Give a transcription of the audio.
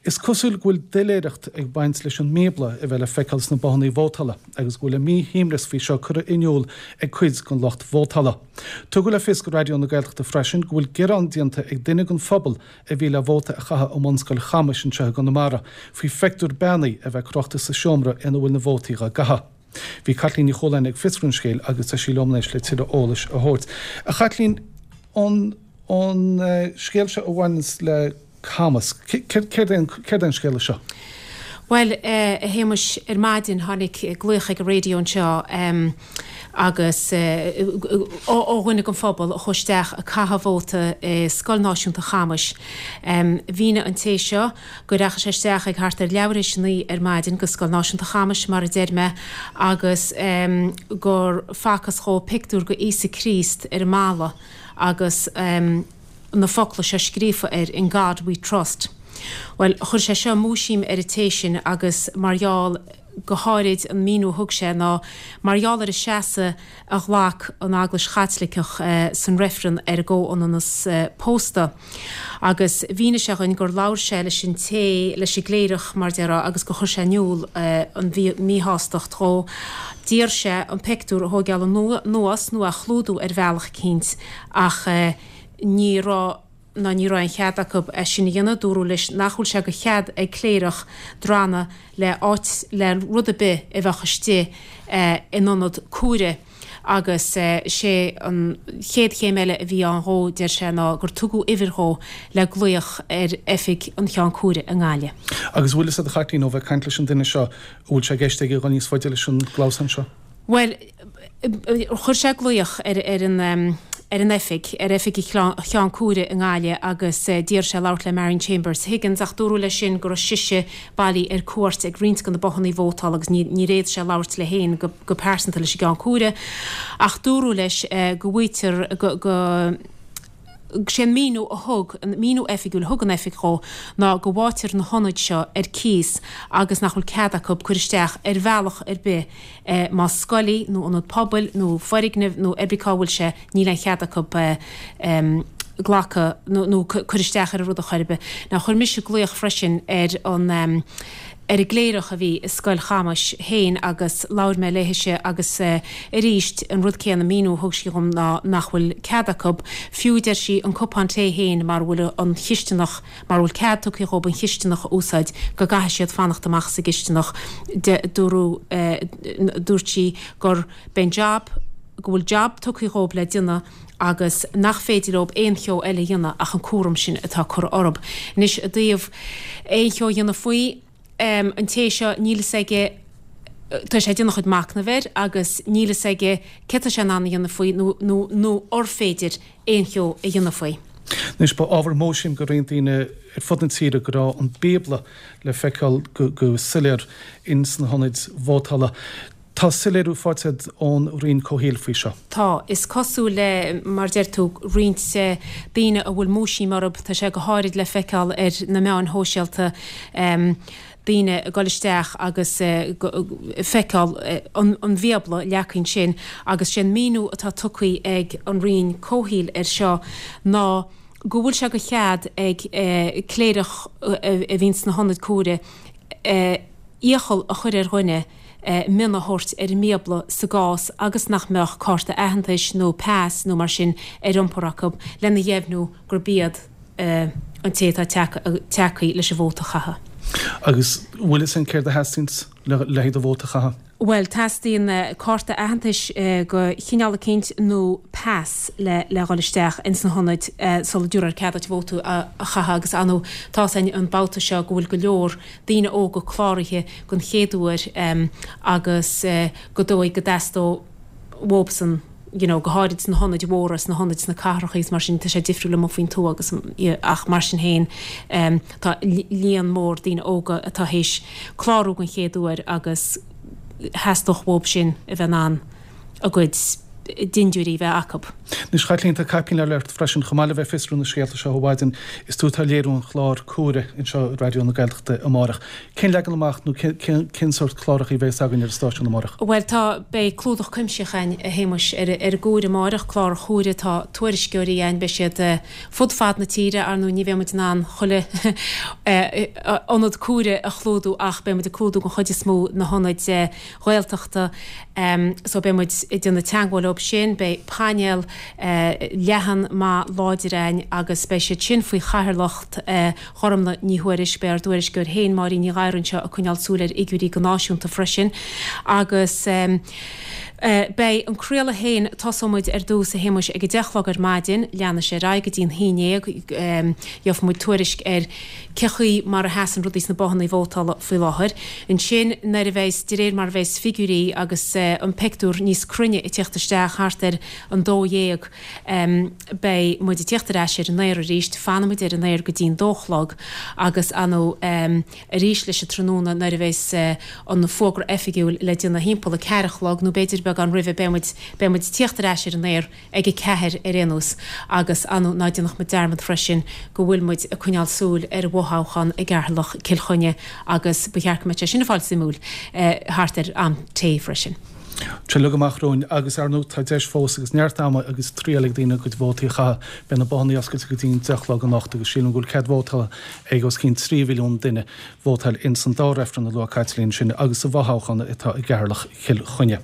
Is cosúil go bhfuil doiléireacht ag baint leis an mBíobla a bheith le feiceáil sna bothannaí vótála agus go bhfuil a míshuaimhneas faoi seo curtha in iúl ag cuid den lucht vótála. Tugadh le fios do Raidió na Gaeltachta freisin go bhfuil gearán déanta ag duine den phobal a bhí le vóta a chaitheamh i mBunscoil Chamais anseo i gConamara faoi phictiúr beannaithe a bheith crochta sa seomra ina bhfuil na vótaí dhá gcaitheamh. Bhí Caitlín Ní Chualáin ag fiosrú an scéil agus tá sí liom anois le tuilleadh eolais a thabhairt. A Chaitlín, an an scéal seo a bhaineanns le Camas, céard é an scéal seo? Bhuel, a Shéamais, ar maidin tháinig glaoch ag an raidió anseo agus ó dhuine den phobal a chuaigh isteach ag caitheamh vóta i Scoil Náisiúnta Chamais. Mhínigh an té seo go ndeachaigh sé isteach ag thart ar leathuair théis a naoi ar maidin go Scoil Náisiúnta Chamais, mar a deir mé, agus gur facthas dhó pictiúr de Íosa Críost ar an mballa agus na focla seo scríofa air, In God We Trust. Bhuel, chuir sé seo múisiam ar an té sin agus mar gheall, go háirid, an míniú a thug sé ná mar gheall ar an seasamh a ghlac an Eaglais Chaitliceach san reifreann ar an gcomhionannas pósta. Agus mhínigh sé dhuinn gur labhair sé leis an té, leis an gcléireach mar déarfá, agus gur chuir sé in iúl an mhíshástacht dhó. D'iarr sé an pictiúr a thóigeáil anuas nó a chlúdú ar bhealach eicínt ach ní raibh ná ní raibh aon chead acu é sin a dhéanamh. Dúradh leis nach bhfuil sé de chead ag cléireach drannadh le áit, le rud ar bith a bheadh istigh in ionad cuaire agus sé an chéad chéim eile a bhí ann dhó, deir sé, ná gur tugadh uimhir dhó le glaoch ar oifig an Cheann Cuaire i nGaillimh. Agus an bhfuil fhios agat a Chaitlín, ó bheith ag caint leis an duine seo, an bhfuil sé i gceist aige dhul níos faide leis an gclamhsán seo? Bhuel, chuir sé glaoch ar an ar an oifig, ar oifig an Cheann Cuaire i nGaillimh agus d'iarr sé labhairt le Marion Chambers Higgins ach dúradh leis sin go raibh sise bailí ar cuairt ag roinnt de na bothannaí vótála agus níor fhéad sé labhairt léi féin go pearsanta leis an gCeann Cuaire ach dúradh leis go bhfaightear go go Sé an míniú a thug, an míniú oifigiúil a thug an oifig dhó ná go bhfaightear na hionaid seo ar cíos agus nach bhfuil cead acu cur isteach ar bhealach ar bith más scoil í nó ionad pobail nó foirgneamh nó ar bith cá bhfuil sé níl aon chead acu glacadh nó cur isteach ar an rud ar chor ar bith. Now chuir mise glaoch freisin ar an ar an gcléireach a bhí i Scoil Chamais féin agus labhair mé léithise agus arís an rud céanna, míniú a thug sí dhom ná nach bhfuil cead acu, fiú deir sí, an cupán tae féin mara bhfuil an chisteanach, mara bhfuil cead tugtha dhóibh an chisteanach a úsáid go gcaithfidh siad fanacht amach sa gcisteanach. Dúradh, dúirt sí gur b'é an jab, go bhfuil jab tugtha dhóibh le déanamh agus nach féidir leob aon cheo eile a dhéanamh ach an cúram sin atá curtha orthub. Anois, i dtaobh aon cheo a dhéanamh faoi, an té seo, níl fhios aige, tá sé ag déanamh a chuid machnaimh air agus níl fhios aige céard tá sé in ann a dhéanamh faoi nó, nó, nó ar féidir aon cheo a dhéanamh faoi. Anois, ba ábhar múisiam do roinnt daoine ar fud na tíre go raibh an Bíobla le feiceáil go soiléir ins na hionaid vótála. Tá soiléiriú faighte agat ón Roinn Comhshaoil faoi seo. Tá. Is cosúil le, mar a deir tú, roinnt daoine a bhfuil múisiam orthu, tá sé go háirid le feiceáil ar na meáin shóisialta, daoine ag dul isteach agus ag feiceáil an Bhíobla leagtha ansin agus sé an míniú atá tugtha ag an Roinn Comhshaoil air seo ná go bhfuil sé de chead ag cléireach a bhíonn sna hionaid cuaire iachall a chur ar dhuine mionn a thabhairt ar an mBíobla sa gcás agus nach mbeadh cárta aitheantais nó pas nó mar sin ar iompar acu lena dheimhniú gurb iad an té atá tagtha leis an vóta a chaitheamh. Agus bhfuil fhios againn céard a theastaíonns le haghaidh do vóta a chaitheamh? Bhuel, teastaíonn cárta aitheantais de chineál eicínt nó pas le le dhul isteach ins na hionaid sula dtabharfar cead duit vóta a chaitheamh agus ar ndóigh tá fhios againn an babhta seo go bhfuil go leor daoine óga cláraithe don chéad uair agus gur dóigh go dteastódh uathubsan you know go háirid sna hionaid mhóra, sna hionaid sna cathracha agus mar sin, tá sé difriúil amuigh faoin tuath agus ach mar sin féin tá líon mór daoine óga atá théis clárú don chéad uair agus theastódh uathub sin a bheith in ann a gcuid. dindiúirí a bheith acu. Anois, a Chaitlín, tá caipín eile ort freisin, chomh maith le bheith ag fiosrú na scéalta seo ó mhaidin, is tú atá ag léiriú an chláir Cúire anseo i Raidió na Gaeltachta amárach. Cén leagan amach nó cén sórt cláracha a bheas againn ar an stáisiún amárach? Bhuel, tá, beidh clúdach cuimsitheach againn, a Shéamuis, ar an gCúire amárach, clár Chúire, tá tuairisceoirí againn, beidh siad fud fad na tíre, ar ndóigh ní bheidh muid in ann chuile ionad Cúire a chlúdú ach beidh muid ag clúdú den chuid is mó na hionaid Ghaeltachta so beidh muid ag déanamh teagmháil leob sin, beidh painéal leathan maith láidir againn agus beidh siad sin faoi chathaoirleacht Ghormlaith Ní Thuairisg, beidh ár dtuairisceoir féin Máirín Ní Ghadhra anseo ag coinneáil súil ar fhigiúirí go náisiúnta freisin agus beidh an craoladh féin, tosóidh muid ar dtús a Shéamuis ag a deich a chlog ar maidin, leanfaidh sé ar aghaidh go dtí an haon dhéag, gheobhaidh muid tuairisc ar cé chaoi mar a sheasann rudaí sna bothanna vótála faoi láthair. Ansin, nuair a bheas, de réir mar a bheas figiúirí agus an pictiúr níos cruinne ag tíocht isteach thart ar an dó dhéag, beidh muid ag tíocht ar ais ar an aer arís, fanfaidh muid ar an aer go dtí an dó a chlog agus ar ndóigh arís leis an tráthnóna nuair a bheas an fógra oifigiúil le déanamh thimpeall a ceathair a chlog nó b'fhéidir beagán roimhe, beidh muid, beidh muid ag tíocht ar ais ar an aer ag a ceathair ar aon nós agus ar ndóigh ná déanfadh muid dearmad freisin go bhfuil muid ag coinneáil súil ar an bhfothoghchán i gCeatharlach, Cill Chainnigh agus ba cheart go mbeadh sé sin ag fáil suimiúil thart ar am tae freisin. Tuilleadh amach romhainn agus ar ndóigh tá deis fós agus neart ama agus triail ag daoine a gcuid vótaí a chaitheamh. Beidh na bothanna oscailte go dtí an 10 a chlog anocht agus sílim go bhfuil cead vótála ag os cionn 3 mhilliún duine vótáil ins an dá reifreann a luaigh Caitlín ansin agus sa bhfothoghchán atá i gCeatharlach Chill Chainnigh.